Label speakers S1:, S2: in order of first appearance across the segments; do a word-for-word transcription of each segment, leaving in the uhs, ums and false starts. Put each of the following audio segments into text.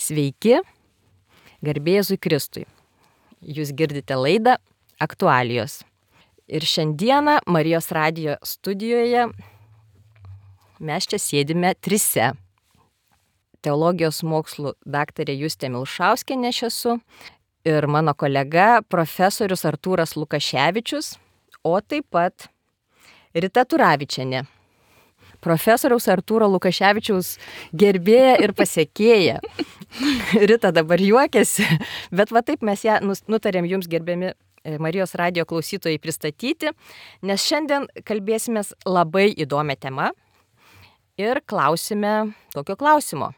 S1: Sveiki, garbė Jėzui Kristui. Jūs girdite laidą Aktualijos. Ir šiandieną Marijos radijo studijoje mes čia sėdime trise. Teologijos mokslų daktarė Justė Milšauskienė aš esu ir mano kolega profesorius Artūras Lukaševičius, o taip pat Rita Turavičienė. Profesoriaus Artūro Lukaševičiaus gerbėja ir pasekėja. Rita dabar juokiasi, bet va taip mes ją nutarėm jums, gerbiami Marijos radijo klausytojai, pristatyti, nes šiandien kalbėsimės labai įdomią temą ir klausime tokio klausimo.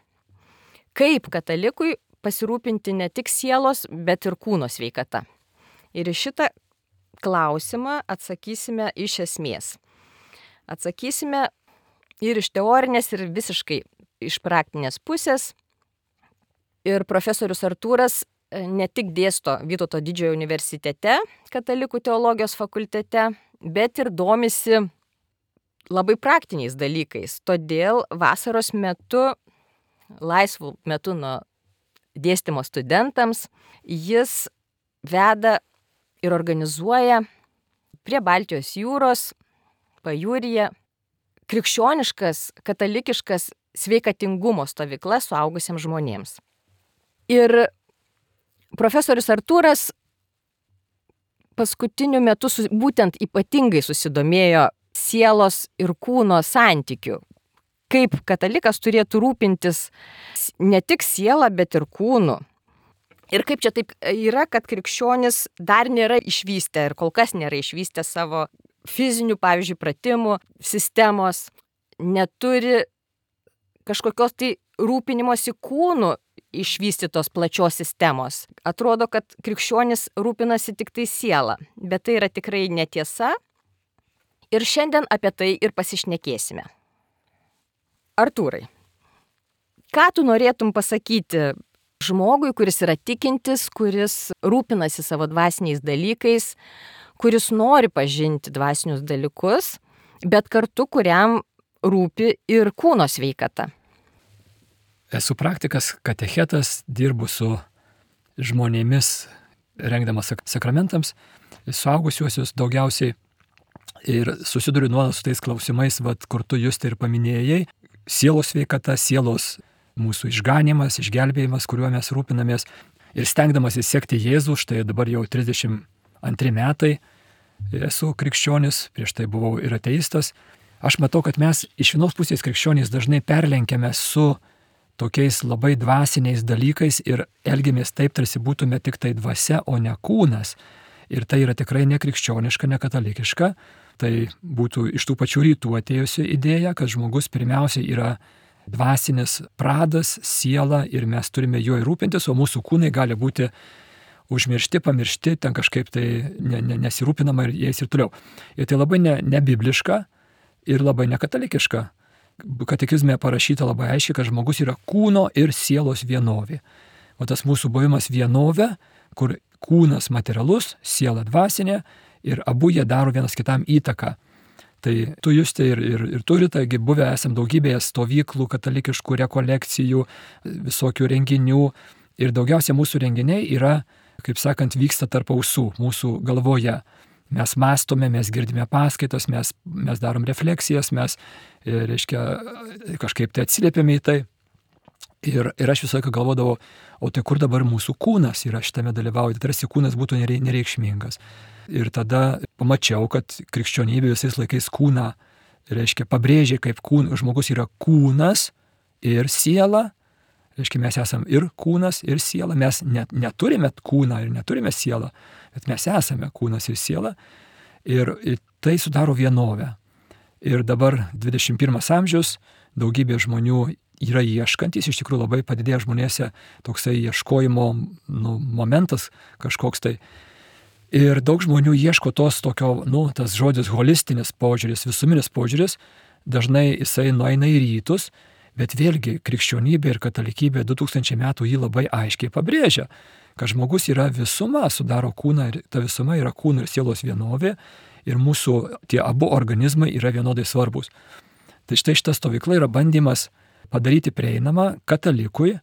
S1: Kaip katalikui pasirūpinti ne tik sielos, bet ir kūno sveikata? Ir į šitą klausimą atsakysime iš esmės. Atsakysime ir iš teorinės, ir visiškai iš praktinės pusės. Ir profesorius Artūras ne tik dėsto Vytauto Didžiojo universitete, katalikų teologijos fakultete, bet ir domisi labai praktiniais dalykais. Todėl vasaros metu, laisvų metu nuo dėstymo studentams, jis veda ir organizuoja prie Baltijos jūros, pajūryje, krikščioniškas, katalikiškas sveikatingumo stovyklas suaugusiems žmonėms. Ir profesorius Artūras paskutiniu metu su, būtent ypatingai susidomėjo sielos ir kūno santykių. Kaip katalikas turėtų rūpintis ne tik sielą, bet ir kūnu. Ir kaip čia taip yra, kad krikščionis dar nėra išvystę ir kol kas nėra išvystę savo fizinių, pavyzdžiui, pratimų sistemos, neturi kažkokios tai rūpinimosi kūnų išvystytos plačios sistemos. Atrodo, kad krikščionis rūpinasi tik tai sielą, bet tai yra tikrai netiesa. Ir šiandien apie tai ir pasišnekėsime. Artūrai, ką tu norėtum pasakyti žmogui, kuris yra tikintis, kuris rūpinasi savo dvasiniais dalykais, kuris nori pažinti dvasinius dalykus, bet kartu kuriam rūpi ir kūno sveikata?
S2: Esu praktikas, katechetas, dirbu su žmonėmis, rengdamas sakramentams, suaugusiuosius daugiausiai ir susiduriu nuolat su tais klausimais, vat, kur tu Juste ir paminėjai, sielos sveikata, sielos mūsų išganimas, išgelbėjimas, kuriuo mes rūpinamės ir stengdamas įsekti Jėzų, štai dabar jau trisdešimt antri metai esu krikščionis, prieš tai buvau ir ateistas. Aš matau, kad mes iš vienos pusės krikščionys dažnai perlenkiame su tokiais labai dvasiniais dalykais ir elgiamės taip, tarsi būtume tik tai dvasia, o ne kūnas. Ir tai yra tikrai nekrikščioniška, nekatalikiška. Tai būtų iš tų pačių rytų atėjusi idėja, kad žmogus pirmiausiai yra dvasinis pradas, siela ir mes turime juo rūpintis, o mūsų kūnai gali būti užmiršti, pamiršti, ten kažkaip tai ne, ne, nesirūpinama ir jais ir toliau. Ir tai labai ne, nebibliška ir labai nekatalikiška. Katekizme parašyta labai aiškiai, kad žmogus yra kūno ir sielos vienovė. O tas mūsų buvimas vienovė, kur kūnas materialus, siela dvasinė ir abu jie daro vienas kitam įtaką. Tai tu Juste ir, ir, ir turi, taigi buvę esam daugybėje stovyklų, katalikiškų rekolekcijų, visokių renginių ir daugiausia mūsų renginiai yra, kaip sakant, vyksta tarp ausų, mūsų galvoje. Mes mąstome, mes girdime paskaitas, mes, mes darom refleksijas, mes, reiškia, kažkaip tai atsiliepiame į tai. Ir, ir aš visą laiką galvodavau, o tai kur dabar mūsų kūnas yra šitame dalyvauti, tarsi kūnas būtų nereikšmingas. Ir tada pamačiau, kad krikščionybė visais laikais kūną, reiškia, pabrėžė, kaip kūn, žmogus yra kūnas ir siela. Reiškia, mes esame ir kūnas, ir siela. Mes net, neturime kūną ir neturime sielą, bet mes esame kūnas ir siela. Ir, ir tai sudaro vienovę. Ir dabar dvidešimt pirmas amžius, daugybė žmonių yra ieškantys, iš tikrųjų labai padidėja žmonėse toksai ieškojimo nu, momentas kažkoks tai. Ir daug žmonių ieško tos tokio, nu, tas žodis holistinis požiūris, visuminis požiūris, dažnai jisai nueina į rytus, bet vėlgi krikščionybė ir katalikybė du tūkstančiai metų jį labai aiškiai pabrėžia, kad žmogus yra visuma, sudaro kūną ir ta visuma yra kūno ir sielos vienovė ir mūsų tie abu organizmai yra vienodai svarbus. Tai štai šita stovykla yra bandymas padaryti prieinamą katalikui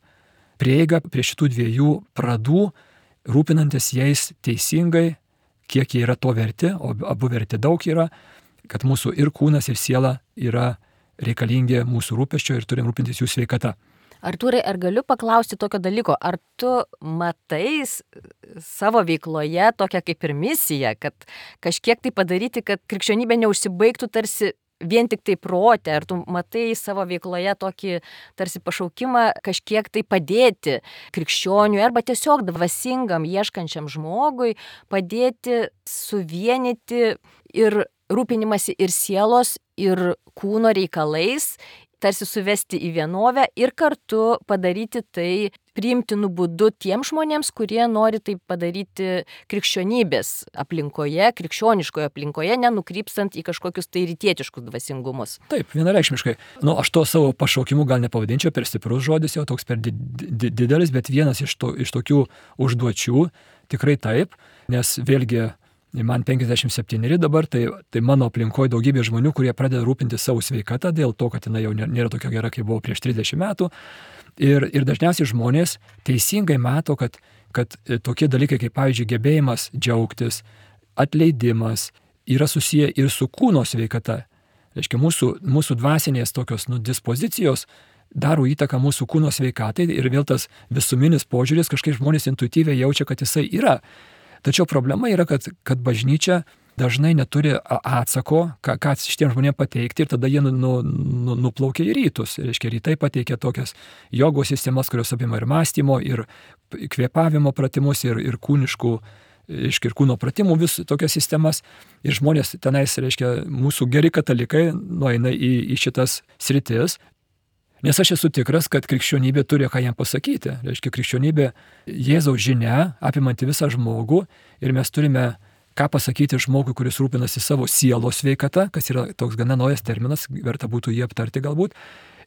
S2: prieigą prie šitų dviejų pradų, rūpinantis jais teisingai, kiek jie yra to verti, o abu verti daug yra, kad mūsų ir kūnas, ir siela yra reikalingi mūsų rūpesčio ir turim rūpintis jų sveikata.
S1: Artūrai, ar galiu paklausti tokio dalyko, ar tu matai savo veikloje tokią kaip ir misiją, kad kažkiek tai padaryti, kad krikščionybė neužsibaigtų tarsi vien tik tai prote, ar tu matai savo veikloje tokį tarsi pašaukimą kažkiek tai padėti krikščioniui arba tiesiog dvasingam, ieškančiam žmogui, padėti suvienyti ir rūpinimasi ir sielos, ir kūno reikalais, tarsi suvesti į vienovę ir kartu padaryti tai priimtinu būdu tiems žmonėms, kurie nori tai padaryti krikščionybės aplinkoje, krikščioniškoje aplinkoje, nenukrypstant į kažkokius tai rytietiškus dvasingumus.
S2: Taip, vienareikšmiškai. Nu, aš to savo pašaukimu gal nepavadinčiau, per stiprus žodis, jau toks per di di didelis, bet vienas iš, to, iš tokių užduočių tikrai taip, nes vėlgi man penkiasdešimt septyneri dabar, tai, tai mano aplinkoje daugybė žmonių, kurie pradeda rūpinti savo sveikatą dėl to, kad jinai jau nėra tokia gera, kaip buvo prieš trisdešimt metų. Ir, ir dažniausiai žmonės teisingai mato, kad, kad tokie dalykai kaip, pavyzdžiui, gebėjimas džiaugtis, atleidimas yra susiję ir su kūno sveikata. Reiškia, mūsų, mūsų dvasinės tokios nu, dispozicijos daro įtaką mūsų kūno sveikatai ir vėl tas visuminis požiūris, kažkaip žmonės intuityviai jaučia, kad jisai yra. Tačiau problema yra, kad, kad bažnyčia dažnai neturi atsako, ką, ką šitiem žmonėms pateikti ir tada jie nu, nu, nuplaukia į rytus. Reiškia, rytai pateikia tokias jogos sistemas, kurios apima ir mąstymo, ir kvėpavimo pratimus, ir, ir kūniškų, reiškia, ir kūno pratimų vis tokias sistemas. Ir žmonės tenais, reiškia, mūsų geri katalikai nueina į, į šitas sritis. Nes aš esu tikras, kad krikščionybė turi ką jam pasakyti. Reiškia, krikščionybė Jėzaus žinia, apimanti visą žmogų, ir mes turime ką pasakyti žmogui, kuris rūpinasi savo sielos sveikata, kas yra toks gana naujas terminas, verta būtų jį aptarti galbūt,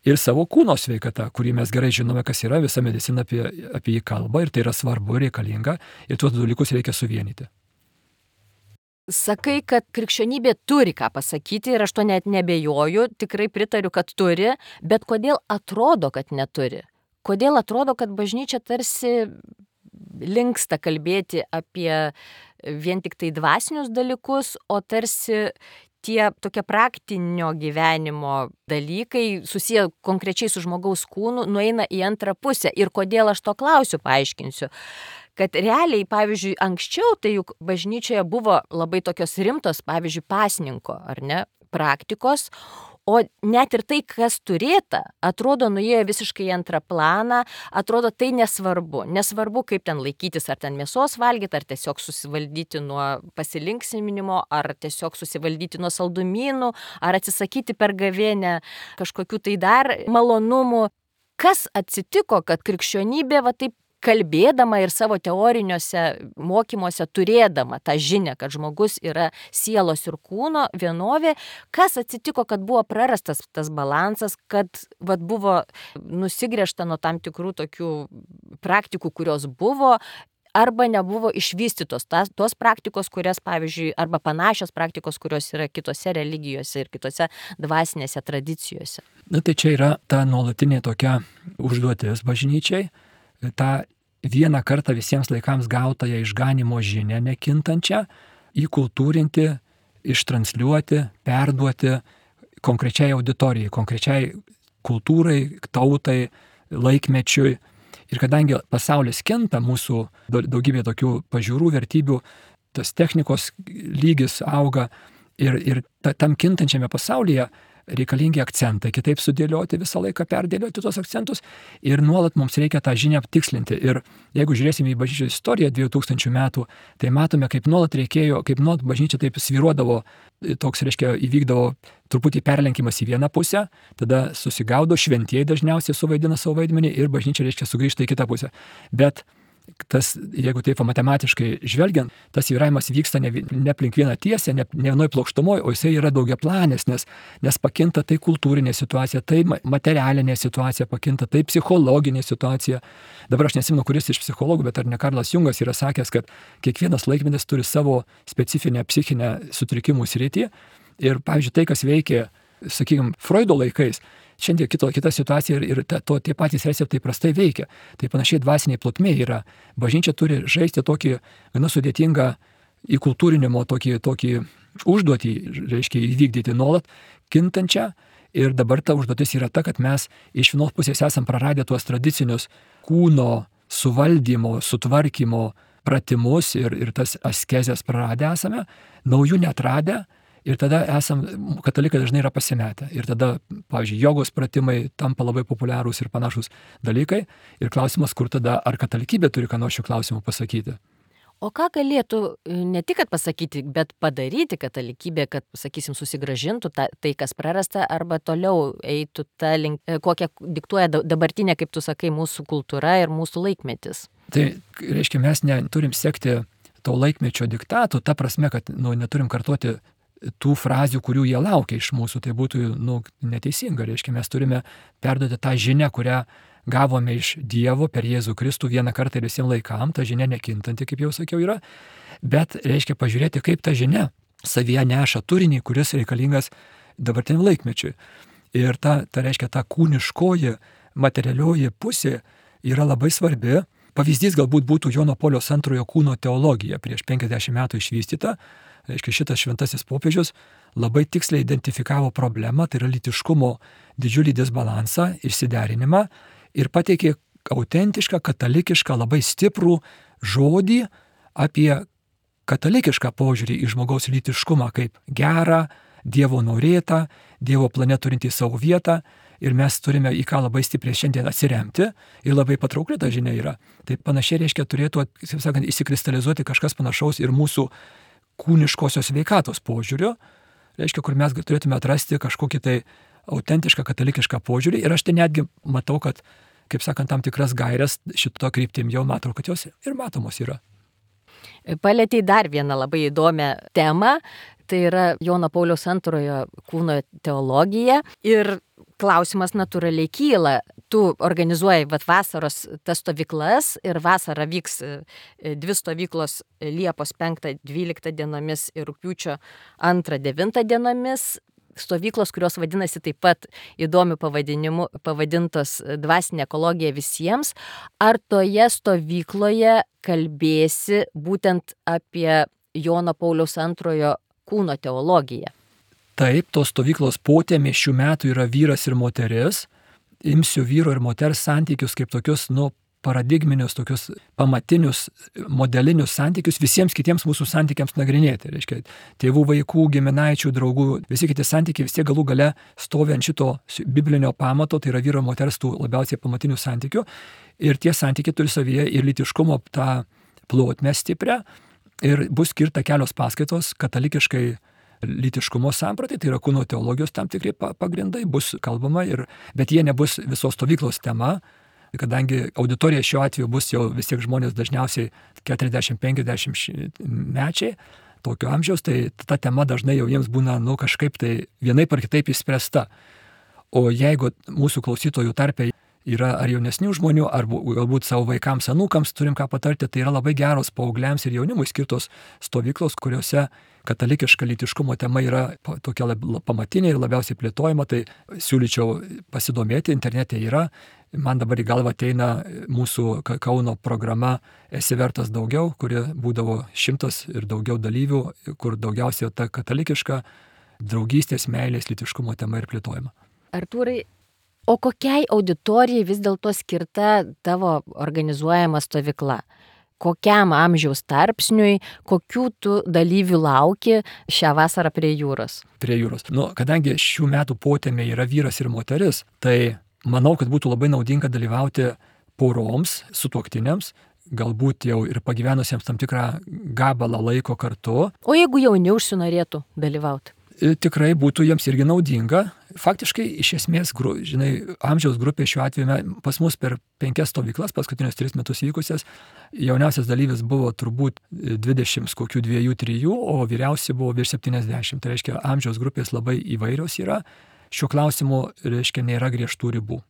S2: ir savo kūno sveikata, kurį mes gerai žinome, kas yra, visa medicina apie, apie jį kalba, ir tai yra svarbu, reikalinga, ir tuos dalykus reikia suvienyti.
S1: Sakai, kad krikščionybė turi ką pasakyti ir aš to net nebejoju, tikrai pritariu, kad turi, bet kodėl atrodo, kad neturi? Kodėl atrodo, kad bažnyčia tarsi linksta kalbėti apie vien tik tai dvasinius dalykus, o tarsi tie tokie praktinio gyvenimo dalykai susiję konkrečiai su žmogaus kūnu nueina į antrą pusę. Ir kodėl aš to klausiu, paaiškinsiu. Kad realiai, pavyzdžiui, anksčiau tai juk bažnyčioje buvo labai tokios rimtos, pavyzdžiui, pasninko, ar ne, praktikos, o net ir tai, kas turėta, atrodo, nuėjo visiškai į antrą planą, atrodo, tai nesvarbu. Nesvarbu, kaip ten laikytis, ar ten mėsos valgyti, ar tiesiog susivaldyti nuo pasilinksminimo, ar tiesiog susivaldyti nuo saldumynų, ar atsisakyti per gavėnę kažkokių tai dar malonumų. Kas atsitiko, kad krikščionybė va taip kalbėdama ir savo teoriniuose mokymuose turėdama tą žinią, kad žmogus yra sielos ir kūno vienovė, kas atsitiko, kad buvo prarastas tas balansas, kad vat, buvo nusigręžta nuo tam tikrų tokių praktikų, kurios buvo, arba nebuvo išvystytos tas, tos praktikos, kurias, pavyzdžiui, arba panašios praktikos, kurios yra kitose religijose ir kitose dvasinėse tradicijose.
S2: Na tai čia yra ta nuolatinė tokia užduotis bažnyčiai, tą vieną kartą visiems laikams gautąją išganimo žinią nekintančią įkultūrinti, ištransliuoti, perduoti konkrečiai auditorijai, konkrečiai kultūrai, tautai, laikmečiui. Ir kadangi pasaulis kinta, mūsų daugybė tokių pažiūrų, vertybių, tas technikos lygis auga ir, ir tam kintančiame pasaulyje reikalingi akcentai, kitaip sudėlioti, visą laiką perdėlioti tos akcentus ir nuolat mums reikia tą žinią aptikslinti. Ir jeigu žiūrėsime į bažnyčios istoriją dviejų tūkstančių metų, tai matome, kaip nuolat reikėjo, kaip nuolat bažnyčia taip svyruodavo, toks, reiškia, įvykdavo truputį perlenkimas į vieną pusę, tada susigaudo, šventieji dažniausiai suvaidina savo vaidmenį ir bažnyčia, reiškia, sugrįžta į kitą pusę. Bet tas, jeigu taip matematiškai žvelgiant, tas vyravimas vyksta ne, ne aplink vieną tiesę, ne, ne vienoj plokštumoj, o jisai yra daugiaplanis, nes, nes pakinta tai kultūrinė situacija, tai materialinė situacija pakinta, tai psichologinė situacija. Dabar aš nesimenu, kuris iš psichologų, bet ar ne Karlas Jungas yra sakęs, kad kiekvienas laikmetis turi savo specifinę psichinę sutrikimų sritį. Ir, pavyzdžiui, tai, kas veikė, sakykime, Freudo laikais, šiandien kito, kita situacija ir, ir ta, to, tie patys receptai prastai veikia. Tai panašiai dvasiniai plotmė yra. Bažnyčia turi žaisti tokį gana sudėtingą įkultūrinimo tokį, tokį užduotį, reiškia įvykdyti nuolat kintančią. Ir dabar ta užduotis yra ta, kad mes iš vienos pusės esam praradę tuos tradicinius kūno suvaldymo, sutvarkymo pratimus ir, ir tas askezės praradę esame, naujų netradę ir tada esam, katalikai dažnai yra pasimetę. Ir tada, pavyzdžiui, jogos pratimai tampa labai populiarūs ir panašus dalykai. Ir klausimas, kur tada, ar katalikybė turi ką nors šių klausimų pasakyti.
S1: O ką galėtų ne tik pasakyti, bet padaryti katalikybė, kad, sakysim, susigražintų ta, tai, kas prarasta, arba toliau eitų tą link, kokią diktuoja dabartinė, kaip tu sakai, mūsų kultūra ir mūsų laikmetis?
S2: Tai, reiškia, mes neturim sekti to laikmečio diktatų, ta prasme, kad nu, neturim kartoti tų frazių, kurių jie laukia iš mūsų. Tai būtų nu, neteisinga. Reiškia, mes turime perduoti tą žinią, kurią gavome iš Dievo per Jėzų Kristų vieną kartą ir visiems laikam, ta žinia nekintanti, kaip jau sakiau, yra, bet reiškia pažiūrėti, kaip ta žinia savyje neša turinį, kuris reikalingas dabartiniam laikmečiui. Ir ta, ta reiškia, ta kūniškoji, materialioji pusė yra labai svarbi. Pavyzdys galbūt būtų Jono Pauliaus antrojo kūno teologija, prieš penkiasdešimt metų išvystyta. Reiškia, šitas šventasis popiežius labai tiksliai identifikavo problemą, tai yra lytiškumo didžiulį disbalansą, išsiderinimą, ir pateikė autentišką, katalikišką, labai stiprų žodį apie katalikišką požiūrį į žmogaus lytiškumą kaip gerą, Dievo norėtą, Dievo plane turintį savo vietą. Ir mes turime į ką labai stipriai šiandien atsiremti ir labai patraukli ta žinia yra. Tai panašiai reiškia turėtų, kaip sakant, įsikristalizuoti kažkas panašaus ir mūsų kūniškosios sveikatos požiūrio. Reiškia, kur mes turėtume atrasti kažkokį tai autentišką katalikišką požiūrį. Ir aš tai netgi matau, kad, kaip sakant, tam tikras gairias šito kryptim jau matau, kad jos ir matomos yra.
S1: Palėtei dar vieną labai įdomią temą. Tai yra Jono Pauliaus antrojo kūno teologija. Ir klausimas natūraliai kyla. Tu organizuoji vat, vasaros tas stovyklas ir vasarą vyks dvi stovyklos Liepos penktą dvyliktą dienomis ir rugpjūčio antrą devintą dienomis. Stovyklos, kurios vadinasi taip pat įdomiu pavadinimu, pavadintos dvasinė ekologija visiems. Ar toje stovykloje kalbėsi būtent apie Jono Pauliaus antrojo kūno teologiją?
S2: Taip, tos stovyklos potėmė šių metų yra vyras ir moteris. Imsiu vyro ir moters santykius kaip tokius, nu, paradigminius, tokius pamatinius, modelinius santykius visiems kitiems mūsų santykiams nagrinėti. Reiškia, tėvų, vaikų, giminaičių, draugų, visi kiti santykiai vis tiek galų gale stovi ant šito biblinio pamato, tai yra vyro ir moters tų labiausiai pamatinių santykių. Ir tie santykiai turi savyje ir lytiškumo tą plotmę stiprią. Ir bus skirta kelios paskaitos katalikiškai lytiškumo sampratai, tai yra kūno teologijos tam tikri pagrindai, bus kalbama, ir, bet jie nebus visos stovyklos tema, kadangi auditorija šiuo atveju bus jau vis tiek žmonės dažniausiai keturiasdešimt penkiasdešimt mečiai, tokio amžiaus, tai ta tema dažnai jau jiems būna nu, kažkaip tai vienaip ar kitaip išspręsta. O jeigu mūsų klausytojų tarpe yra ar jaunesnių žmonių, ar galbūt savo vaikams, anūkams turim ką patarti, tai yra labai geros paaugliams ir jaunimui skirtos stovyklos, kuriuose katalikiška lytiškumo tema yra tokia lab, pamatinė ir labiausiai plėtojama, tai siūlyčiau pasidomėti, internete yra. Man dabar į galvą ateina mūsų Kauno programa Esi vertas daugiau, kuri būdavo šimtas ir daugiau dalyvių, kur daugiausiai ta katalikiška draugystės, meilės, lytiškumo tema ir plėtojama.
S1: Artūrai, o kokiai auditorijai vis dėlto skirta tavo organizuojama stovykla? Kokiam amžiaus tarpsniui, kokių tu dalyvių lauki šią vasarą prie jūros?
S2: Prie jūros. Nu, kadangi šių metų potėmė yra vyras ir moteris, tai manau, kad būtų labai naudinga dalyvauti poroms, sutuoktiniams, galbūt jau ir pagyvenusiems tam tikrą gabalą laiko kartu.
S1: O jeigu jauni užsinorėtų dalyvauti?
S2: Tikrai būtų jiems irgi naudinga. Faktiškai, iš esmės, žinai, amžiaus grupė šiuo atveju pas mus per penkias stovyklas, paskutinius tris metus vykusias, jauniausias dalyvis buvo turbūt dvidešimt, kokių dviejų, trijų, o vyriausi buvo virš septyniasdešimt. Tai reiškia, amžiaus grupės labai įvairios yra. Šiuo klausimu, reiškia, nėra griežtų ribų.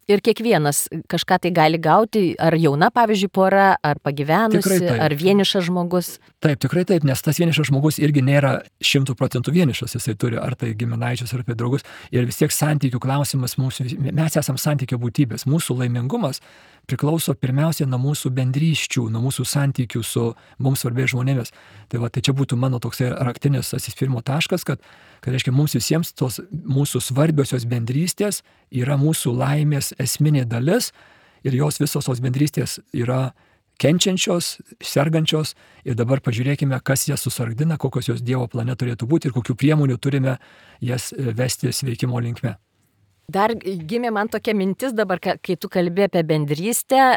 S1: Ir kiekvienas kažką tai gali gauti, ar jauna, pavyzdžiui, pora, ar pagyvenusi, ar vienišas žmogus.
S2: Taip, tikrai taip, nes tas vienišas žmogus irgi nėra šimtų procentų vienišas, jisai turi ar tai giminaičius, ar apie draugus. Ir vis tiek santykių klausimas, mūsų, mes esam santykio būtybės, mūsų laimingumas priklauso pirmiausia nuo mūsų bendryščių, nuo mūsų santykių su mums svarbiais žmonėmis. Tai, va, tai čia būtų mano toksai raktinis atsispirimo taškas, kad, kad reiškia, mums visiems tos mūsų svarbiosios bendrystės yra mūsų laimės esminė dalis ir jos visos tos bendrystės yra kenčiančios, sergančios ir dabar pažiūrėkime, kas jas susargdina, kokios jos Dievo plane turėtų būti ir kokių priemonių turime jas vesti sveikimo linkme.
S1: Dar gimė man tokia mintis dabar, kai tu kalbė apie bendrystę,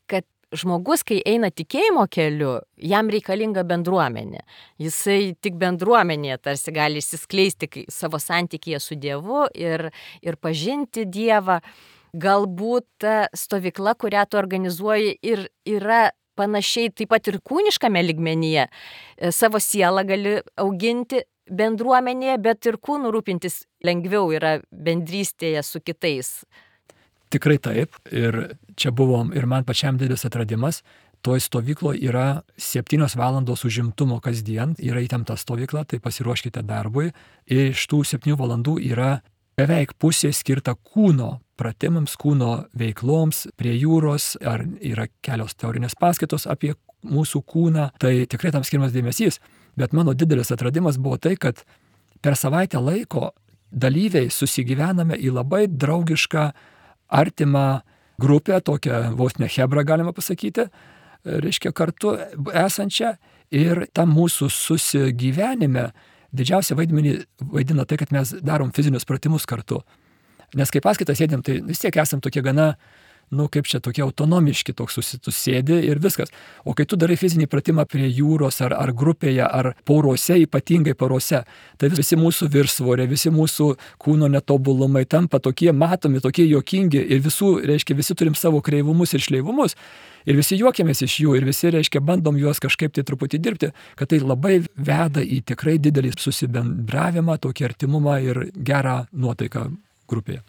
S1: kad žmogus, kai eina tikėjimo keliu, jam reikalinga bendruomenė. Jisai tik bendruomenėje tarsi gali išsiskleisti savo santykyje su Dievu ir, ir pažinti Dievą. Galbūt ta stovykla, kurią tu organizuoji, ir yra panašiai taip pat ir kūniškame lygmenyje. Savo sielą gali auginti bendruomenėje, bet ir kūnų rūpintis lengviau yra bendrystėje su kitais.
S2: Tikrai taip. Ir čia buvom ir man pačiam didelis atradimas. Toj stovykloje yra septynios valandos užimtumo kasdien, yra įtempta stovykla, tai pasiruoškite darbui. Ir iš tų septynių valandų yra beveik pusė skirta kūno pratimams, kūno veikloms prie jūros, ar yra kelios teorinės paskaitos apie mūsų kūną. Tai tikrai tam skiriamas dėmesys. Bet mano didelis atradimas buvo tai, kad per savaitę laiko dalyviai susigyvename į labai draugišką, artimą grupę, tokią vos ne chebrą galima pasakyti, reiškia kartu esančią. Ir tam mūsų susigyvenime didžiausią vaidmenį vaidina tai, kad mes darom fizinius pratimus kartu. Nes kai paskaitą sėdėm, tai vis tiek esam tokie gana, nu kaip čia, tokie autonomiški, toks susėdi ir viskas. O kai tu darai fizinį pratimą prie jūros ar, ar grupėje, ar porose, ypatingai porose, tai visi mūsų viršsvorė, visi mūsų kūno netobulumai tampa tokie matomi, tokie juokingi ir visų, reiškia, visi turim savo kreivumus ir šleivumus ir visi juokiamės iš jų ir visi, reiškia, bandom juos kažkaip tai truputį dirbti, kad tai labai veda į tikrai didelį susibendravimą, tokį artimumą ir gerą nuotaiką grupėje.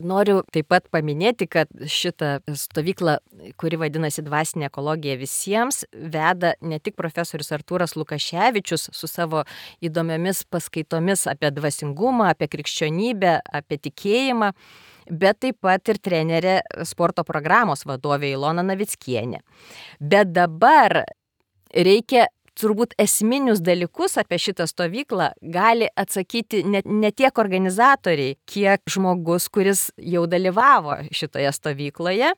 S1: Noriu taip pat paminėti, kad šitą stovyklą, kuri vadinasi Dvasinė ekologija visiems, veda ne tik profesorius Artūras Lukaševičius su savo įdomiomis paskaitomis apie dvasingumą, apie krikščionybę, apie tikėjimą, bet taip pat ir trenerė sporto programos vadovė Ilona Navickienė. Bet dabar reikia turbūt esminius dalykus apie šitą stovyklą gali atsakyti ne, ne tiek organizatoriai, kiek žmogus, kuris jau dalyvavo šitoje stovykloje.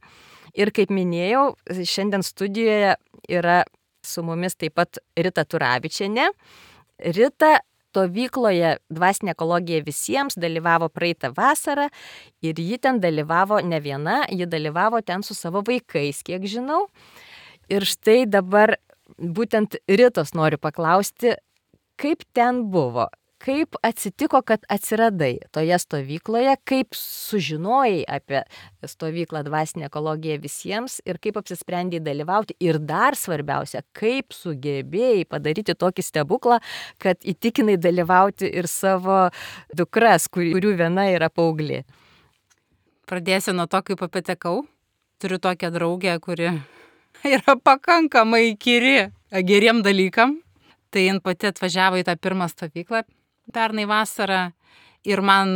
S1: Ir kaip minėjau, šiandien studijoje yra su mumis taip pat Rita Turavičienė. Rita stovykloje Dvasinė ekologija visiems dalyvavo praeitą vasarą ir ji ten dalyvavo ne viena, ji dalyvavo ten su savo vaikais, kiek žinau. Ir štai dabar būtent Ritos noriu paklausti, kaip ten buvo, kaip atsitiko, kad atsiradai toje stovykloje, kaip sužinojai apie stovyklą Dvasinė ekologija visiems ir kaip apsisprendėjai dalyvauti ir dar svarbiausia, kaip sugebėjai padaryti tokį stebuklą, kad įtikinai dalyvauti ir savo dukras, kurių viena yra paauglė.
S3: Pradėsiu nuo to, kaip patekau. Turiu tokią draugę, kuri yra pakankamai įkyri geriem dalykam. Tai jin pati atvažiavo į tą pirmą stovyklą pernai vasarą ir man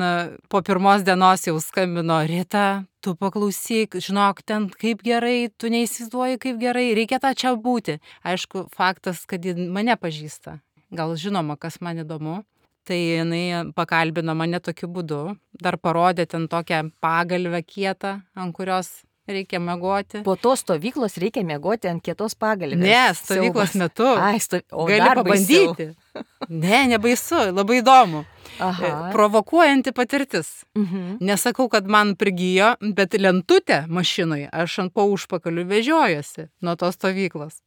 S3: po pirmos dienos jau skambino: Rita, tu paklausyk, žinok, ten kaip gerai, tu neįsivaizduoji kaip gerai, reikia tą čia būti. Aišku, faktas, kad jin mane pažįsta. Gal žinoma, kas man įdomu. Tai jinai pakalbino mane tokiu būdu, dar parodė ten tokią pagalvę kietą, ant kurios reikia miegoti.
S1: Po tos stovyklos reikia miegoti ant kietos pagalvės.
S3: Ne, stovyklos metu.
S1: Ai, sto...
S3: Gali pabandyti. Ne, nebaisu, labai įdomu.
S1: Aha.
S3: Provokuojanti patirtis.
S1: Mhm.
S3: Nesakau, kad man prigijo, bet lentutę mašinoje aš ant po užpakalių vežiojuosi nuo tos stovyklos.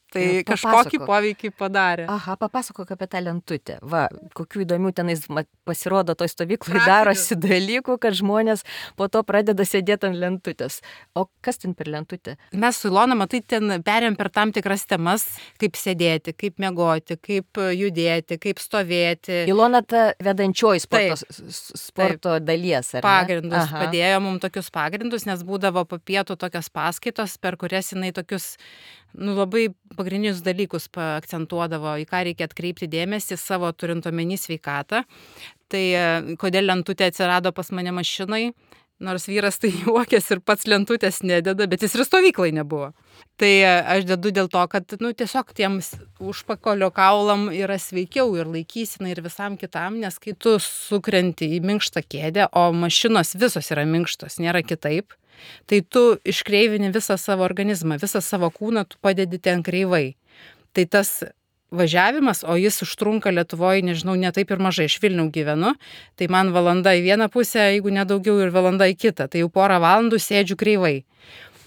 S3: Tai
S1: E,
S3: kažkokį
S1: papasakok.
S3: poveikį padarė.
S1: Aha, papasakok apie tą lentutę. Va, kokių įdomių tenais ma- pasirodo toj stovyklai
S3: Praktinių.
S1: darosi dalykų, kad žmonės po to pradeda sėdėti ant lentutės. O kas ten per lentutę?
S3: Mes su Ilona, matai, ten perėm per tam tikras temas, kaip sėdėti, kaip miegoti, kaip judėti, kaip stovėti.
S1: Ilona ta vedančioji sporto,
S3: Taip.
S1: s- s- sporto dalies, ar ne?
S3: Pagrindus,
S1: Aha.
S3: padėjo mums tokius pagrindus, nes būdavo po pietų tokios paskaitos, per kurias jinai tokius, nu, labai pagrindinius dalykus akcentuodavo, į ką reikia atkreipti dėmesį savo turint omeny sveikatą. Tai e, kodėl lentutė atsirado pas mane mašinai, nors vyras tai juokės ir pats lentutės nededa, bet jis ir stovyklai nebuvo. Tai e, aš dedu dėl to, kad, nu, tiesiog tiems užpakalio kaulam yra sveikiau ir laikysina ir visam kitam, nes kai tu sukrenti į minkštą kėdę, o mašinos visos yra minkštos, nėra kitaip, tai tu iškreivini visą savo organizmą, visą savo kūną tu padedi ten kreivai. Tai tas važiavimas, o jis užtrunka Lietuvoje, nežinau, ne taip ir mažai, iš Vilniaus gyvenu, tai man valanda į vieną pusę, jeigu nedaugiau, ir valanda į kitą, tai jau porą valandų sėdžiu kreivai.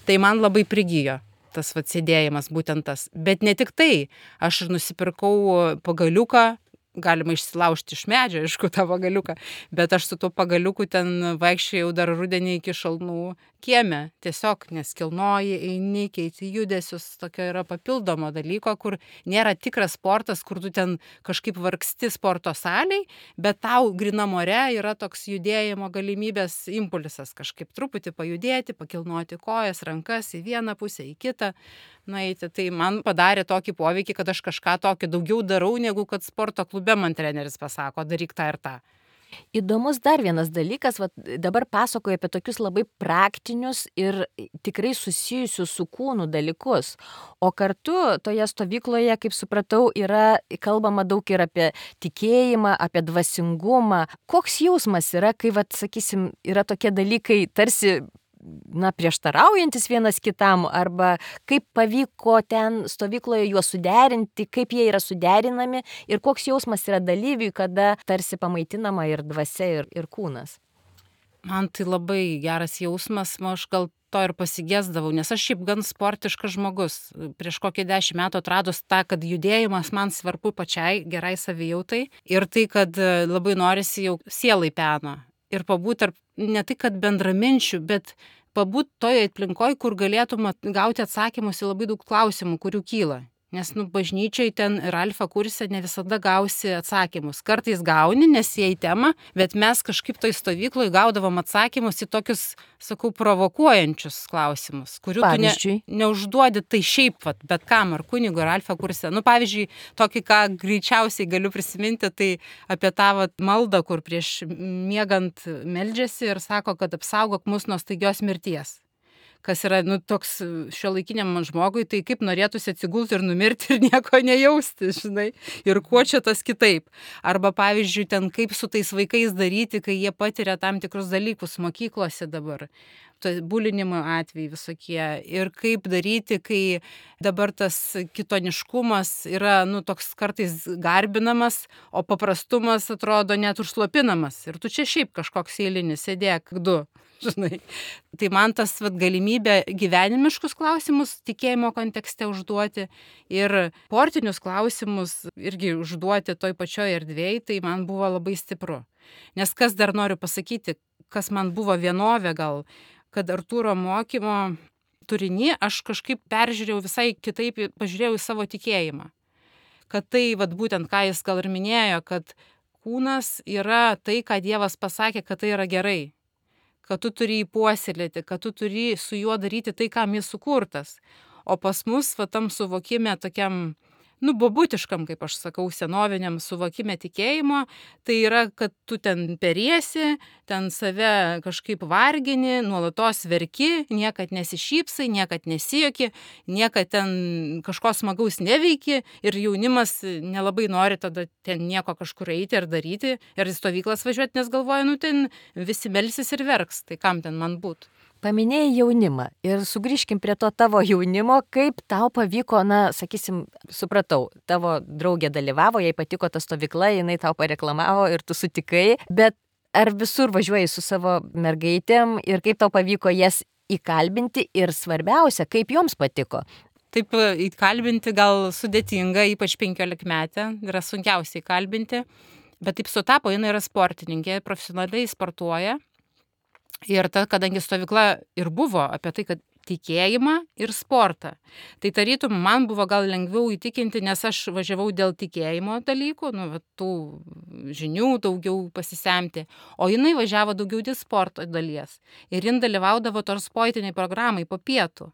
S3: Tai man labai prigijo tas vat sėdėjimas, būtent tas. Bet ne tik tai, aš ir nusipirkau pagaliuką, galima išsilaužti iš medžio, aišku, tą pagaliuką, bet aš su tuo pagaliuku ten vaikščiojau dar rudenį iki šalnų kieme, tiesiog, nes kilnoji, eini, keiti judesius, tokio yra papildomo dalyko, kur nėra tikras sportas, kur tu ten kažkaip vargsti sporto saliai, bet tau grynam ore yra toks judėjimo galimybės impulsas, kažkaip truputį pajudėti, pakilnoti kojas, rankas į vieną pusę, į kitą, nueiti. Tai man padarė tokį poveikį, kad aš kažką tokio daugiau darau, negu kad sporto klube man treneris pasako, daryk tą ir tą.
S1: Įdomus dar vienas dalykas, va, dabar pasakoju apie tokius labai praktinius ir tikrai susijusius su kūnu dalykus. O kartu toje stovykloje, kaip supratau, yra kalbama daug ir apie tikėjimą, apie dvasingumą. Koks jausmas yra, kai, va, sakysim, yra tokie dalykai tarsi, na, prieštaraujantis vienas kitam, arba kaip pavyko ten stovykloje juos suderinti, kaip jie yra suderinami ir koks jausmas yra dalyviui, kada tarsi pamaitinama ir dvasia, ir, ir kūnas.
S3: Man tai labai geras jausmas, man aš gal to ir pasigėsdavau, nes aš šiaip gan sportiškas žmogus. Prieš kokį dešimt metų atradus tą, kad judėjimas man svarbu pačiai, gerai savijautai ir tai, kad labai norisi jau sielai peno. Ir pabūt tarp, ne tai kad bendraminčių, bet pabūt toje aplinkoje, kur galėtum gauti atsakymus į labai daug klausimų, kurių kyla. Nes, nu, bažnyčiai ten ir alfa kurse ne visada gausi atsakymus. Kartais gauni, nes jie į temą, bet mes kažkaip toj stovykloje gaudavom atsakymus į tokius, sakau, provokuojančius klausimus, kurių
S1: Pavyzdžiui?
S3: tu ne, neužduodi tai šiaip, vat, bet kam, ar kunigo, ar alfa kurse. Nu, pavyzdžiui, tokį, ką greičiausiai galiu prisiminti, tai apie tą vat maldą, kur prieš miegant meldžiasi ir sako, kad apsaugok mus nuo staigios mirties. Kas yra, nu, toks šiuolaikiniam žmogui, tai kaip norėtųsi atsigulti ir numirti ir nieko nejausti, žinai, ir kuo čia tas kitaip. Arba, pavyzdžiui, ten kaip su tais vaikais daryti, kai jie patiria tam tikrus dalykus mokyklose dabar, bulinimo atvejai visokie, ir kaip daryti, kai dabar tas kitoniškumas yra, nu, toks kartais garbinamas, o paprastumas atrodo net užslopinamas. Ir tu čia šiaip kažkoks eilinis, sėdėk du. Žinai. Tai man tas vat, galimybė gyvenimiškus klausimus tikėjimo kontekste užduoti ir sportinius klausimus irgi užduoti toj pačioj erdvėj, tai man buvo labai stipru. Nes kas dar noriu pasakyti, kas man buvo vienovė gal, kad Artūro mokymo turinį aš kažkaip peržiūrėjau visai kitaip, pažiūrėjau į savo tikėjimą. Kad tai, vat, būtent ką jis gal ir minėjo, kad kūnas yra tai, ką Dievas pasakė, kad tai yra gerai. Kad tu turi jį puoselėti, kad tu turi su juo daryti tai, kam jis sukurtas. O pas mus, va, tam suvokime tokiam, nu, bobutiškam, kaip aš sakau, senoviniam suvokime tikėjimo, tai yra, kad tu ten periesi, ten save kažkaip vargini, nuolatos verki, niekad nesišypsai, niekad nesijoki, niekad ten kažko smagaus neveiki ir jaunimas nelabai nori tada ten nieko kažkur eiti ir daryti ir į stovyklas važiuoti, nes galvoja, nu, ten visi melsis ir verks, tai kam ten man būtų.
S1: Paminėjai jaunimą ir sugrįžkim prie to tavo jaunimo, kaip tau pavyko, na, sakysim, supratau, tavo draugė dalyvavo, jai patiko ta stovykla, jinai tau pareklamavo ir tu sutikai, bet ar visur važiuoji su savo mergaitėm ir kaip tau pavyko jas įkalbinti ir svarbiausia, kaip joms patiko?
S3: taip įkalbinti gal sudėtinga, ypač penkiolikmetę, yra sunkiausiai įkalbinti, bet taip sutapo, jinai yra sportininkė, profesionaliai sportuoja. Ir ta, kadangi stovykla ir buvo apie tai, kad tikėjimą ir sportą. Tai tarytum man buvo gal lengviau įtikinti, nes aš važiavau dėl tikėjimo dalykų, nu, tų žinių daugiau pasisemti, o jinai važiavo daugiau dėl sporto dalies. Ir jin dalyvaudavo tos sportiniai programai po pietų.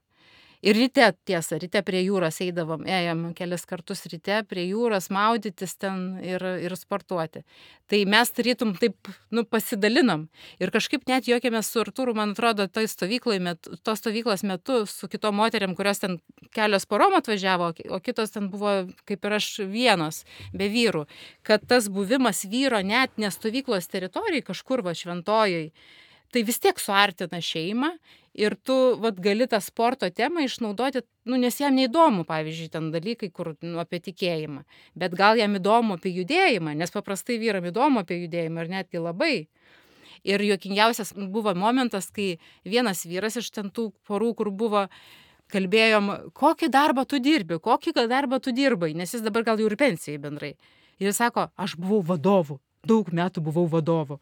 S3: Ir ryte, tiesa, ryte prie jūros eidavom, ėjom kelis kartus ryte prie jūros maudytis ten ir, ir sportuoti. Tai mes tarytum taip, nu, pasidalinom. Ir kažkaip net juokėmės su Artūru, man atrodo, toj stovykloj metu, tos stovyklos metu su kitom moteriam, kurios ten kelios porom atvažiavo, o kitos ten buvo, kaip ir aš, vienos, be vyrų. Kad tas buvimas vyro net ne stovyklos teritorijai, kažkur va šventojai, tai vis tiek suartina šeimą ir tu vat, gali tą sporto temą išnaudoti, nu, nes jam neįdomu, pavyzdžiui, ten dalykai, kur nu, apie tikėjimą, bet gal jam įdomu apie judėjimą, nes paprastai vyram įdomu apie judėjimą ir netgi labai. Ir juokingiausias buvo momentas, kai vienas vyras iš ten tų porų, kur buvo, kalbėjom, kokį darbą tu dirbi, kokį darbą tu dirbai, nes jis dabar gal jau ir pensijai bendrai. Ir jis sako, aš buvau vadovu, daug metų buvau vadovu.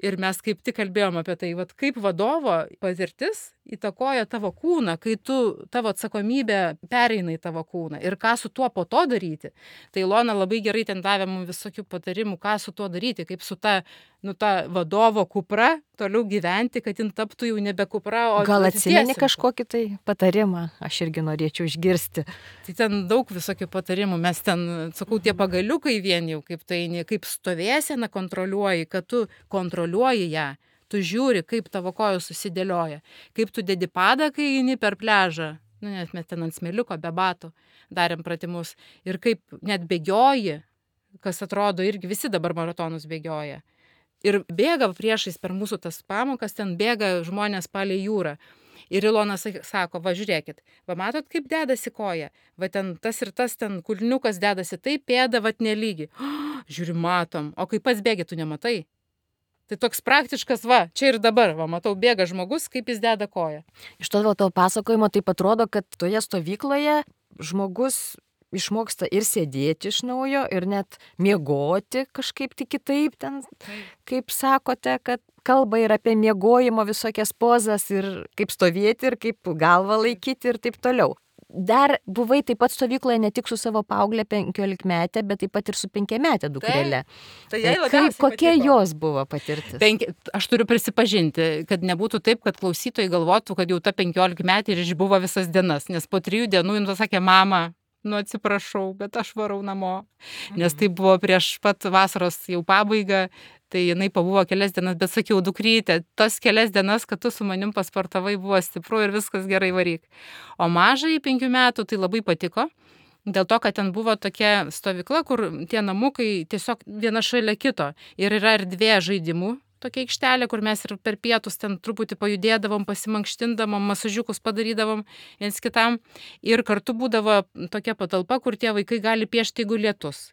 S3: Ir mes kaip tik kalbėjom apie tai, vat, kaip vadovo patirtis įtakoja tavo kūną, kai tu tavo atsakomybė pereina į tavo kūną ir ką su tuo po to daryti. Tai Ilona labai gerai ten davė mums visokių patarimų, ką su tuo daryti, kaip su ta, nu, ta vadovo kupra toliau gyventi, kad jin taptų jau nebe kupra, o
S1: gal atsimeni kažkokį tai patarimą, aš irgi norėčiau išgirsti.
S3: Tai ten daug visokių patarimų, mes ten, sakau, tie pagaliukai vien jau, kaip tai, kaip stovėseną kontroliuoji, kad tu kontroliuoji ją. Tu žiūri, kaip tavo kojos susidėlioja, kaip tu dedi padą, kai eini per pliažą, nu, nes mes ten ant smėliuko be batų darėm pratimus, ir kaip net bėgioji, kas atrodo irgi visi dabar maratonus bėgioja. Ir bėga priešais per mūsų tas pamokas, ten bėga žmonės palei jūrą. Ir Ilona sako, va žiūrėkit, va matot, kaip dedasi koja, va ten tas ir tas ten kulniukas dedasi, taip pėda, va nelygi. Oh, žiūri, matom, o kai pats bėgi, tu nematai. Tai toks praktiškas, va, čia ir dabar, va, matau, bėga žmogus, kaip jis deda koją.
S1: Iš to tavo pasakojimo taip atrodo, kad toje stovykloje žmogus išmoksta ir sėdėti iš naujo, ir net miegoti kažkaip tik kitaip ten, kaip sakote, kad kalba ir apie miegojimo visokias pozas, ir kaip stovėti, ir kaip galvą laikyti, ir taip toliau. Dar buvai taip pat stovykloje ne tik su savo paauglė penkiolikmetė, bet taip pat ir su penkiametė dukrelė.
S3: Tai, tai
S1: kaip, kokia patiko jos buvo patirtis?
S3: Penki, aš turiu prisipažinti, kad nebūtų taip, kad klausytojai galvotų, kad jau ta penkiolikmetė ir išbuvo visas dienas, nes po trijų dienų jin pasakė, mama, nu atsiprašau, bet aš varau namo, nes tai buvo prieš pat vasaros jau pabaigą. Tai jinai pabuvo kelias dienas, bet sakiau, dukrytė, tos kelias dienas, kad tu su manim pasportavai, buvo stipru ir viskas gerai varyk. O mažai penkių metų tai labai patiko, dėl to, kad ten buvo tokia stovykla, kur tie namukai tiesiog viena šalia kito ir yra erdvė žaidimų, tokia aikštelė, kur mes ir per pietus ten truputį pajudėdavom, pasimankštindavom, masažiukus padarydavom viens kitam ir kartu būdavo tokia patalpa, kur tie vaikai gali piešti, jeigu lietus.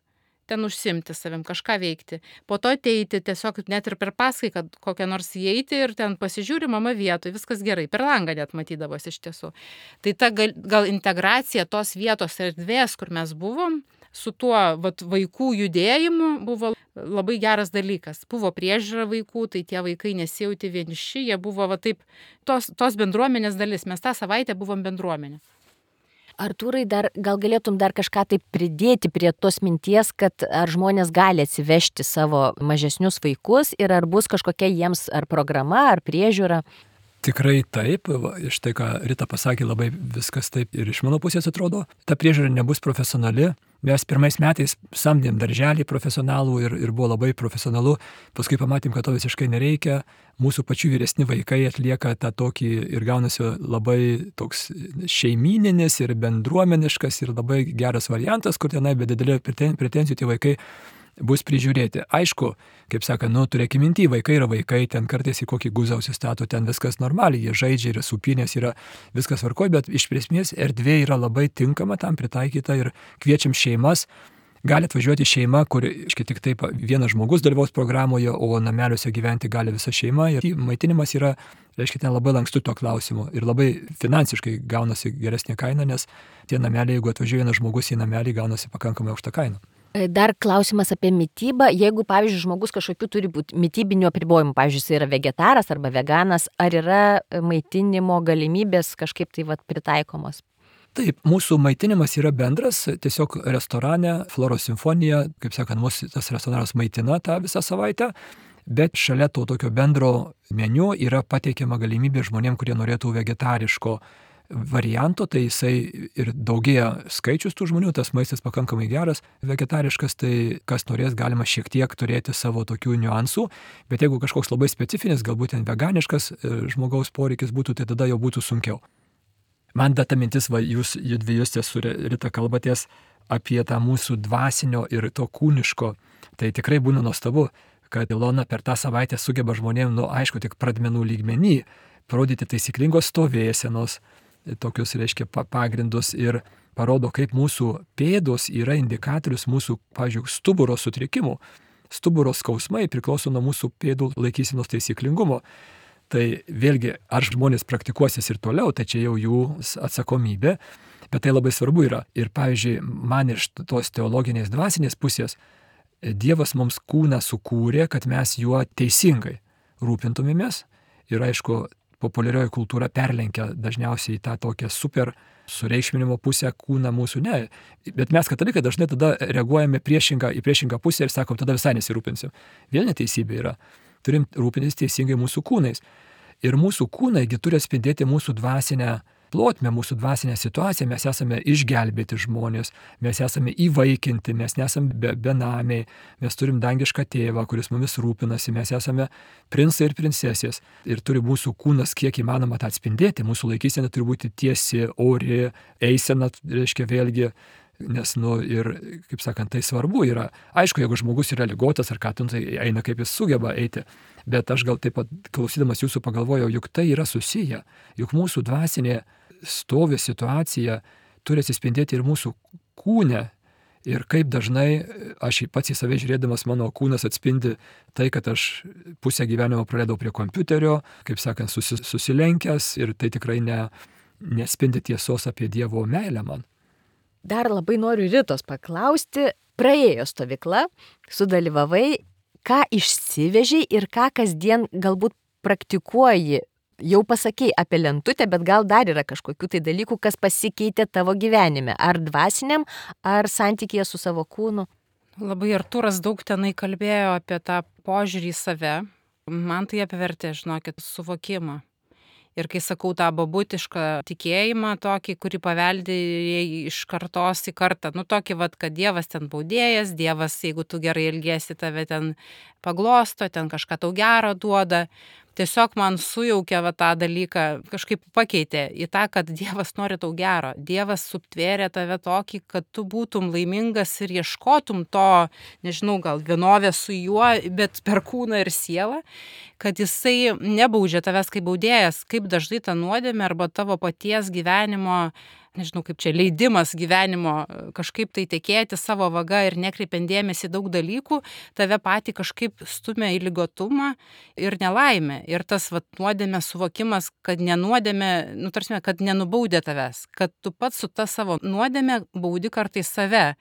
S3: Ten užsimti savim, kažką veikti. Po to ateiti tiesiog net ir per paskai, kad kokią nors įeiti ir ten pasižiūri mama vietoj, viskas gerai, per langą net matydavosi iš tiesų. Tai ta gal, gal integracija tos vietos erdvės, kur mes buvom, su tuo vat, vaikų judėjimu buvo labai geras dalykas. Buvo priežiūra vaikų, tai tie vaikai nesijauti vieniši, jie buvo va, taip, tos, tos bendruomenės dalis. Mes tą savaitę buvom bendruomenė.
S1: Artūrai, dar, gal galėtum dar kažką taip pridėti prie tos minties, kad ar žmonės gali atsivežti savo mažesnius vaikus ir ar bus kažkokia jiems ar programa, ar priežiūra?
S2: Tikrai taip, va, iš tai, ką Rita pasakė, labai viskas taip ir iš mano pusės atrodo. Ta priežiūra nebus profesionali. Mes pirmais metais samdėm darželį profesionalų ir, ir buvo labai profesionalu. Paskui pamatėm, kad to visiškai nereikia. Mūsų pačių vyresni vaikai atlieka tą tokį ir gaunasi labai toks šeimyninis ir bendruomeniškas ir labai geras variantas, kur tenai be didelio pretenzijų tie vaikai bus prižiūrėti. Aišku, kaip saka, nu, turėkime minty, vaikai yra vaikai, ten kartais į kokį guzą užsistato, ten viskas normaliai, jie žaidžia, yra supinės, yra viskas tvarkoj, bet iš esmės erdvė yra labai tinkama tam pritaikyta ir kviečiam šeimas gali atvažiuoti šeima, kur iškai tik taip vienas žmogus dalyvaus programoje, o nameliuose gyventi gali visa šeima. Ir maitinimas yra, reiškia, ten labai lankstu to klausimu ir labai finansiškai gaunasi geresnė kaina, nes tie nameliai, jeigu atvažiuoja vienas žmogus į namelį, gaunasi pakankamai aukšta kaina.
S1: Dar klausimas apie mitybą. Jeigu, pavyzdžiui, žmogus kažkokiu turi būti mitybinių apribojimų, pavyzdžiui, jis yra vegetaras arba veganas, ar yra maitinimo galimybės kažkaip tai vat pritaikomos?
S2: Taip, mūsų maitinimas yra bendras, tiesiog restorane, Floros simfonija, kaip sakant, mūsų tas restoranas maitina tą visą savaitę, bet šalia to tokio bendro meniu yra pateikiama galimybė žmonėm, kurie norėtų vegetariško varianto, tai jisai ir daugėja skaičius tų žmonių, tas maistas pakankamai geras, vegetariškas, tai kas norės, galima šiek tiek turėti savo tokių niuansų, bet jeigu kažkoks labai specifinis, galbūt ten veganiškas žmogaus poreikis būtų, tai tada jau būtų sunkiau. Man da ta mintis, va, jūs dviejus su Rita kalbatės apie tą mūsų dvasinio ir to kūniško, tai tikrai būna nuostabu, kad Ilona per tą savaitę sugeba žmonėm, nu aišku, tik pradmenų lygmenį, parodyti taisyklingos stovėsenos, tokius, reiškia, pagrindus ir parodo, kaip mūsų pėdos yra indikatorius mūsų, pavyzdžiui, stuburo sutrikimų. Stuburo skausmai priklauso nuo mūsų pėdų laikysenos taisyklingumo. Tai vėlgi, ar žmonės praktikuosis ir toliau, tai čia jau jų atsakomybė, bet tai labai svarbu yra. Ir, pavyzdžiui, man iš tos teologinės dvasinės pusės Dievas mums kūną sukūrė, kad mes juo teisingai rūpintumėmės ir, aišku, populiarioji kultūra perlenkia dažniausiai tą tokią super sureikšminimo pusę kūną mūsų, ne. Bet mes katalikai dažnai tada reaguojame priešingą, į priešingą pusę ir sakom, tada visai nesirūpinsim. Vėl neteisybė yra. Turim rūpintis teisingai mūsų kūnais. Ir mūsų kūnaigi turi atspindėti mūsų dvasinę plotmę, mūsų dvasinę situaciją. Mes esame išgelbėti žmonės, mes esame įvaikinti, mes nesame be, benamiai, mes turim dangišką tėvą, kuris mumis rūpinasi, mes esame princai ir princesės. Ir turi mūsų kūnas kiek įmanoma tą atspindėti, mūsų laikysena turi būti tiesi, ori, eisena, reiškia vėlgi, nes, nu, ir, kaip sakant, tai svarbu yra. Aišku, jeigu žmogus yra ligotas ar ką, tai eina kaip jis sugeba eiti. Bet aš gal taip pat, klausydamas jūsų, pagalvojau, juk tai yra susiję. Juk mūsų dvasinė stovi situacija turi atsispindėti ir mūsų kūne. Ir kaip dažnai aš pats į save žiūrėdamas, mano kūnas atspindi tai, kad aš pusę gyvenimo praleidau prie kompiuterio, kaip sakant, susi, susilenkęs ir tai tikrai ne, nespindi tiesos apie Dievo meilę man.
S1: Dar labai noriu Ritos paklausti, praėjo stovykla, sudalyvavai, ką išsivežiai ir ką kasdien galbūt praktikuoji. Jau pasakei apie lentutę, bet gal dar yra kažkokių tai dalykų, kas pasikeitė tavo gyvenime, ar dvasiniam, ar santykėje su savo kūnu.
S3: Labai Artūras daug tenai kalbėjo apie tą požiūrį į save. Man tai apvertė, žinokit, suvokimą. Ir kai sakau tą babutišką tikėjimą tokį, kurį paveldėjai iš kartos į kartą, nu tokį, vat, kad Dievas ten baudėjas, Dievas, jeigu tu gerai elgiesi, tave ten paglosto, ten kažką tau gero duoda. Tiesiog man sujaukė va, tą dalyką, kažkaip pakeitė į tą, kad Dievas nori tau gero. Dievas subtvėrė tave tokį, kad tu būtum laimingas ir ieškotum to, nežinau, gal vienovės su juo, bet per kūną ir sielą, kad jisai nebaudžia tavęs kaip baudėjas, kaip dažnai ta nuodėmė arba tavo paties gyvenimo, nežinau, kaip čia leidimas gyvenimo kažkaip tai tekėti savo vaga ir nekreipiant dėmesį daug dalykų, tave patį kažkaip stumia į ligotumą ir nelaimę. Ir tas vat, nuodėmė suvokimas, kad nenuodėmė, nu, tarsi, kad nenubaudė tavęs, kad tu pats su ta savo nuodėmė baudi kartais save,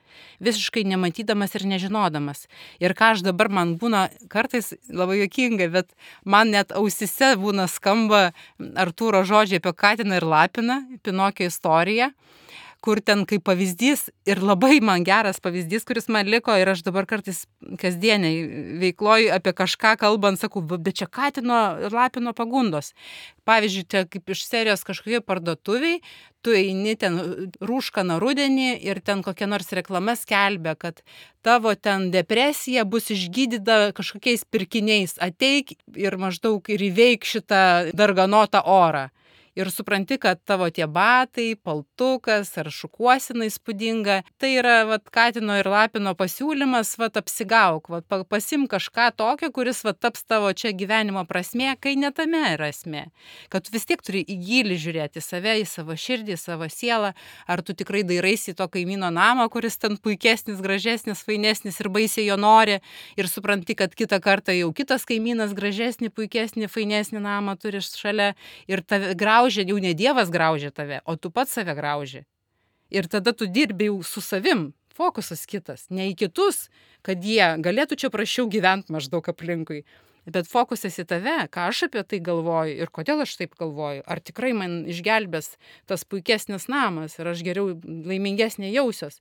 S3: visiškai nematydamas ir nežinodamas. Ir ką aš dabar man būna kartais labai juokinga, bet man net ausise būna skamba Artūro žodžiai apie Katiną ir Lapiną, Pinokio istoriją, kur ten kaip pavyzdys ir labai man geras pavyzdys, kuris man liko ir aš dabar kartais kasdieniai veikloj apie kažką kalbant, sakau, bet čia Katino ir Lapino pagundos. Pavyzdžiui, čia kaip iš serijos kažkokie parduotuviai, tu eini ten rūškaną rudenį ir ten kokia nors reklama skelbia, kad tavo ten depresija bus išgydyta kažkokiais pirkiniais, ateik ir maždaug ir įveik šitą darganotą orą. Ir supranti, kad tavo tie batai, paltukas ar šukuosina įspūdinga, tai yra vat, Katino ir Lapino pasiūlymas, vat, apsigauk, vat, pasim kažką tokio, kuris vat, taps tavo čia gyvenimo prasmė, kai ne tame yra esmė. Kad vis tiek turi į gilį žiūrėti save, į savo širdį, į savo sielą, ar tu tikrai dairaisi į to kaimyno namą, kuris ten puikesnis, gražesnis, fainesnis ir baisiai jo nori, ir supranti, kad kitą kartą jau kitas kaimynas gražesnį, puikesnį, fainesnį namą turi šalia ir tave graužia. Jau ne Dievas graužia tave, o tu pats save grauži. Ir tada tu dirbi jau su savim, fokusas kitas, ne į kitus, kad jie galėtų čia prašiau gyventi maždaug aplinkui. Bet fokusas į tave, ką aš apie tai galvoju ir kodėl aš taip galvoju. Ar tikrai man išgelbės tas puikesnis namas ir aš geriau laimingesnė jausios.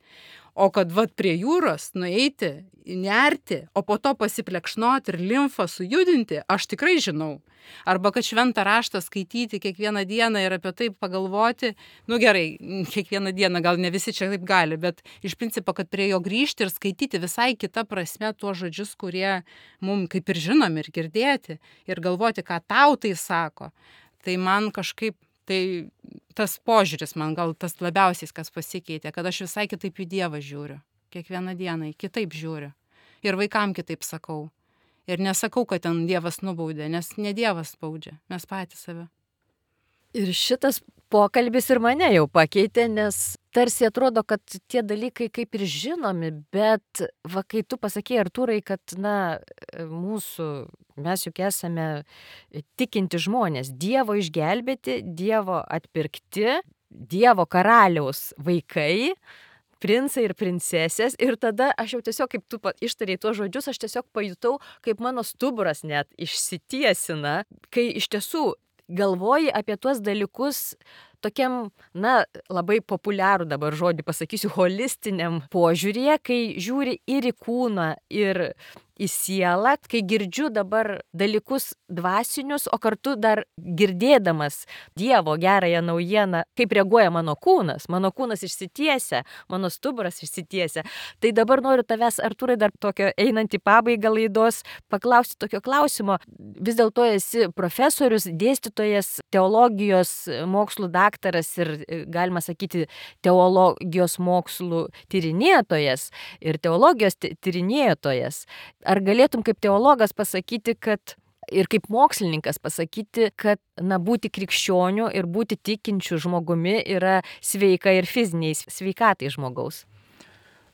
S3: O kad vat prie jūros nueiti, nerti, o po to pasiplekšnoti ir limfą sujudinti, aš tikrai žinau. Arba kad šventą raštą skaityti kiekvieną dieną ir apie tai pagalvoti, nu gerai, kiekvieną dieną gal ne visi čia taip gali, bet iš principo, kad prie jo grįžti ir skaityti visai kitą prasme tuos žodžius, kurie mums kaip ir žinom ir girdėti, ir galvoti, ką tau tai sako. Tai man kažkaip, tai tas požiūris man gal tas labiausiai, kas pasikeitė, kad aš visai kitaip į Dievą žiūriu, kiekvieną dieną kitaip žiūriu. Ir vaikam kitaip sakau. Ir nesakau, kad ten Dievas nubaudė, nes ne Dievas baudžia, mes patys save.
S1: Ir šitas pokalbis ir mane jau pakeitė, nes tarsi atrodo, kad tie dalykai kaip ir žinomi, bet va, kai tu pasakėjai, Artūrai, kad na, mūsų, mes juk esame tikinti žmonės, Dievo išgelbėti, Dievo atpirkti, Dievo karaliaus vaikai, princai ir princesės, ir tada aš jau tiesiog, kaip tu ištarei tuos žodžius, aš tiesiog pajutau, kaip mano stuburas net išsitiesina, kai iš tiesų galvoji apie tuos dalykus tokiam, na, labai populiarų dabar žodį pasakysiu, holistiniam požiūrėje, kai žiūri ir į kūną, ir į sielą, kai girdžiu dabar dalykus dvasinius, o kartu dar girdėdamas Dievo gerąją naujieną, kaip reaguoja mano kūnas, mano kūnas išsitiesia, mano stuburas išsitiesia. Tai dabar noriu tavęs, Artūrai, dar tokio einant į pabaigą laidos, paklausti tokio klausimo. Vis dėlto esi profesorius, dėstytojas, teologijos mokslų daktaras ir, galima sakyti, teologijos mokslų tyrinėtojas ir teologijos tyrinėtojas. Ar galėtum kaip teologas pasakyti, kad ir kaip mokslininkas pasakyti, kad na, būti krikščioniu ir būti tikinčiu žmogumi yra sveika ir fiziniai sveikatai žmogaus?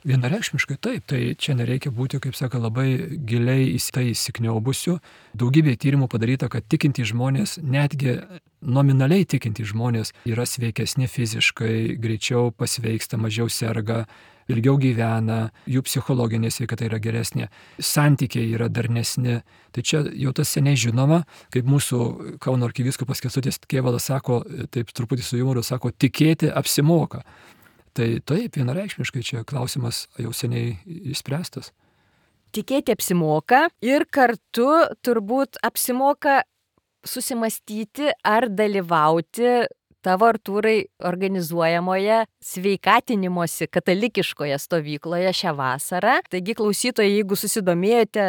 S2: Vienareikšmiškai taip, tai čia nereikia būti, kaip sako, labai giliai į tai įsikniaubusiu. Daugybė tyrimų padaryta, kad tikintys žmonės, netgi nominaliai tikintys žmonės yra sveikesni fiziškai, greičiau pasveiksta, mažiau serga, ilgiau gyvena, jų psichologinė sveikata yra geresnė, santykiai yra darnesni. Tai čia jau tas seniai žinoma, kaip mūsų Kauno arkivyskupas Kęstutis Kėvalas sako, taip truputį su jumoru sako, tikėti apsimoka. Tai taip, vienareikšmiškai čia klausimas jau seniai išspręstas.
S1: Tikėti apsimoka ir kartu turbūt apsimoka susimastyti ar dalyvauti tavo, Artūrai, organizuojamoje sveikatinimosi katalikiškoje stovykloje šią vasarą. Taigi, klausytojai, jeigu susidomėjote,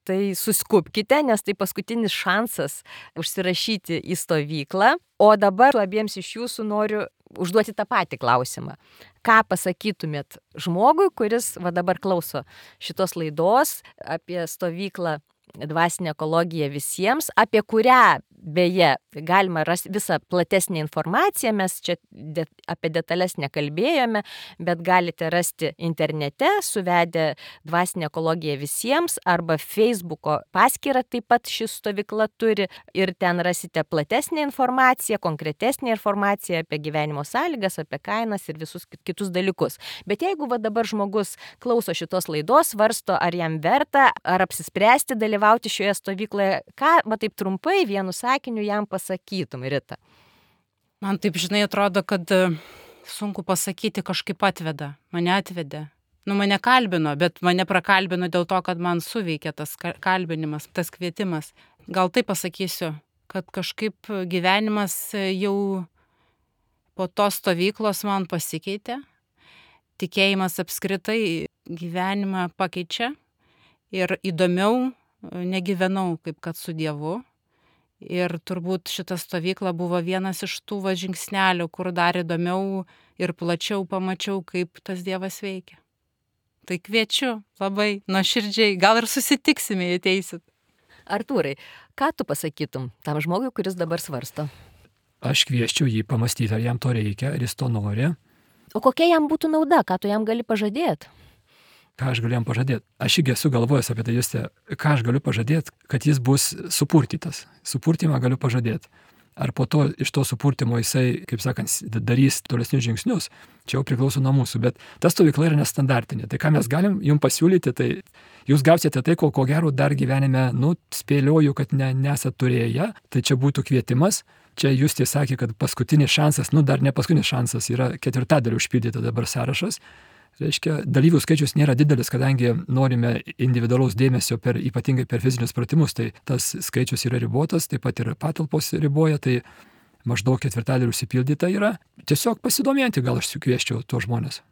S1: tai suskubkite, nes tai paskutinis šansas užsirašyti į stovyklą. O dabar abiems iš jūsų noriu užduoti tą patį klausimą. Ką pasakytumėt žmogui, kuris va dabar klauso šitos laidos apie stovyklą Dvasinė ekologija visiems, apie kurią beje galima rasti visą platesnę informaciją, mes čia de, apie detalės nekalbėjome, bet galite rasti internete, suvedę Dvasinė ekologija visiems, arba Facebooko paskyrą taip pat ši stovykla turi, ir ten rasite platesnę informaciją, konkretesnę informaciją apie gyvenimo sąlygas, apie kainas ir visus kitus dalykus. Bet jeigu va dabar žmogus klauso šitos laidos, svarsto, ar jam verta, ar apsispręsti dalyvauti šioje stovykloje, ką, va taip trumpai, vienu sakiniu jam pasakytum, Rita?
S3: Man taip, žinai, atrodo, kad sunku pasakyti, kažkaip atveda. Mane atvedė. Nu, mane kalbino, bet mane prakalbino dėl to, kad man suveikė tas kalbinimas, tas kvietimas. Gal taip pasakysiu, kad kažkaip gyvenimas jau po tos stovyklos man pasikeitė. Tikėjimas apskritai gyvenimą pakeičia ir įdomiau negyvenau kaip kad su Dievu. Ir turbūt šita stovykla buvo vienas iš tų va žingsnelių, kur dar įdomiau ir plačiau pamačiau, kaip tas Dievas veikia. Tai kviečiu labai nuoširdžiai, gal ir susitiksime, jei ateisit.
S1: Artūrai, ką tu pasakytum tam žmogui, kuris dabar svarsto?
S2: Aš kvieščiau jį pamastyti, ar jam to reikia, ar jis to nori.
S1: O kokia jam būtų nauda, ką tu jam gali pažadėti?
S2: Ką aš galiu jam pažadėti? Aš irgi esu galvojęs apie tai, Juste, ką aš galiu pažadėti, kad jis bus supurtytas. Supurtymą galiu pažadėti. Ar po to iš to supurtimo jisai, kaip sakant, darys tolesnius žingsnius, čia jau priklauso nuo mūsų, bet ta stovykla yra nestandartinė. Tai ką mes galim jums pasiūlyti, tai jūs gausite tai, ko, ko gero dar gyvenime, nu, spėlioju, kad ne, nesat turėję, tai čia būtų kvietimas. Čia Justė sakė, kad paskutinis šansas, nu dar ne paskutinis šansas, yra ketvirtadaliu užpildyti dabar sąrašas. Reiškia, dalyvių skaičius nėra didelis, kadangi norime individualaus dėmesio per, ypatingai per fizinius pratimus, tai tas skaičius yra ribotas, taip pat ir patalpos riboja, tai maždaug ketvirtadaliu užsipildyta yra. Tiesiog pasidomėti gal aš sukvieščiau tuos žmonės.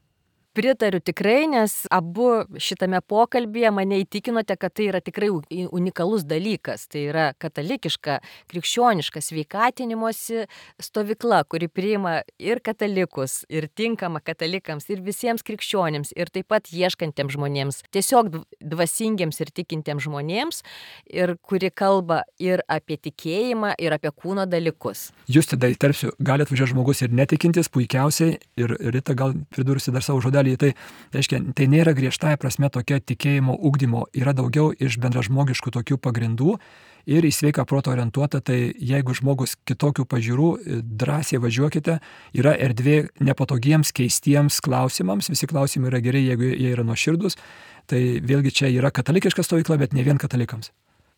S1: Pritariu tikrai, nes abu šitame pokalbėje mane įtikinote, kad tai yra tikrai unikalus dalykas. Tai yra katalikiška, krikščioniška sveikatinimosi stovykla, kuri priima ir katalikus, ir tinkama katalikams, ir visiems krikščionims, ir taip pat ieškantiems žmonėms, tiesiog dvasingiems ir tikintiems žmonėms, ir kuri kalba ir apie tikėjimą, ir apie kūno dalykus.
S2: Jūs tada įterpsiu, gali atvažiuoti žmogus ir netikintis puikiausiai, ir Rita gal pridursi dar savo žodelį. Tai, reiškia, tai nėra griežtąja prasme tokia tikėjimo ugdymo, yra daugiau iš bendražmogiškų tokių pagrindų ir į sveiką protą orientuota, tai jeigu žmogus kitokių pažiūrų, drąsiai važiuokite, yra erdvė nepatogiems, keistiems klausimams, visi klausimai yra geri, jeigu jie yra nuoširdus, tai vėlgi čia yra katalikiška stovykla, bet ne vien katalikams.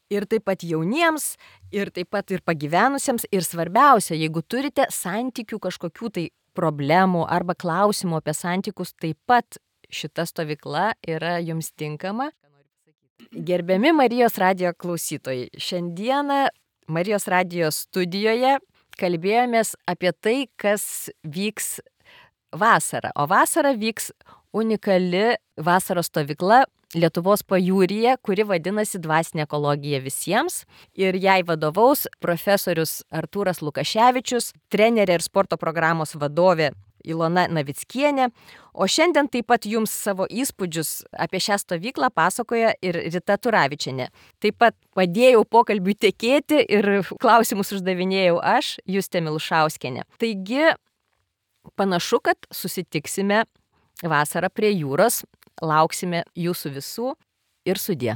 S1: Ir taip pat jauniems, ir taip pat ir pagyvenusiems, ir svarbiausia, jeigu turite santykių kažkokių tai problemų arba klausimų apie santykius, taip pat šita stovykla yra jums tinkama. Gerbiami Marijos radijo klausytojai, šiandieną Marijos radijo studijoje kalbėjomės apie tai, kas vyks vasarą. O vasarą vyks unikali vasaros stovykla Lietuvos pajūryje, kuri vadinasi Dvasinė ekologija visiems. Ir jai vadovaus profesorius Artūras Lukaševičius, trenerė ir sporto programos vadovė Ilona Navickienė. O šiandien taip pat jums savo įspūdžius apie šią stovyklą pasakoja ir Rita Turavičienė. Taip pat padėjau pokalbiui tekėti ir klausimus uždavinėjau aš, Justė Milušauskienė. Taigi, panašu, kad susitiksime vasarą prie jūros. Lauksime jūsų visų ir sudie.